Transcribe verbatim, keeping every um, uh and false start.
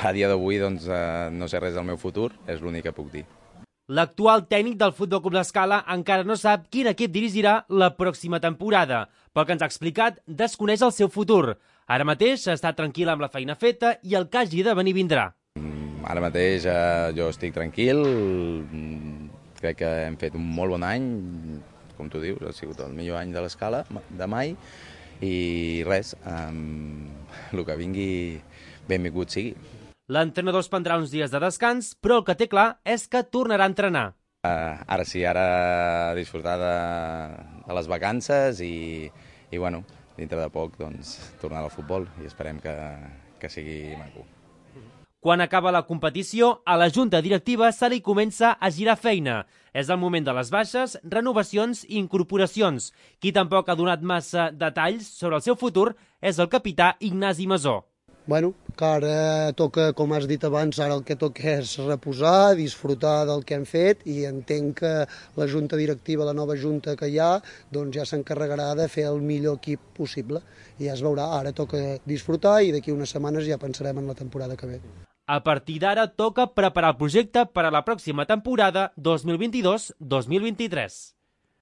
a dia d'avui doncs, eh, no sé res del meu futur, és l'únic que puc dir. L'actual tècnic del Futbol Club L'Escala encara no sap quin equip dirigirà la pròxima temporada. Pel que ens ha explicat, desconeix el seu futur. Ara mateix està tranquil amb la feina feta i el que hagi de venir vindrà. Ara mateix eh, jo estic tranquil, crec que hem fet un molt bon any, com tu dius, ha sigut el millor any de l'Escala de mai, i res, eh, el que vingui benvingut sigui. L'entrenador es prendrà uns dies de descans, però el que té clar és que tornarà a entrenar. Uh, ara sí, ara disfrutar de, de les vacances i, i bueno, dintre de poc doncs, tornar al futbol i esperem que, que sigui maco. Quan acaba la competició, a la junta directiva se li comença a girar feina. És el moment de les baixes, renovacions i incorporacions. Qui tampoc ha donat massa detalls sobre el seu futur és el capità Ignasi Masó. Bueno, que ara toca, com has dit abans, ara el que toca és reposar, disfrutar del que hem fet i entenc que la junta directiva, la nova junta que hi ha, doncs ja s'encarregarà de fer el millor equip possible. I ja es veurà, ara toca disfrutar i d'aquí unes setmanes ja pensarem en la temporada que ve. A partir d'ara toca preparar el projecte per a la pròxima temporada dos mil vint-i-dos dos mil vint-i-tres.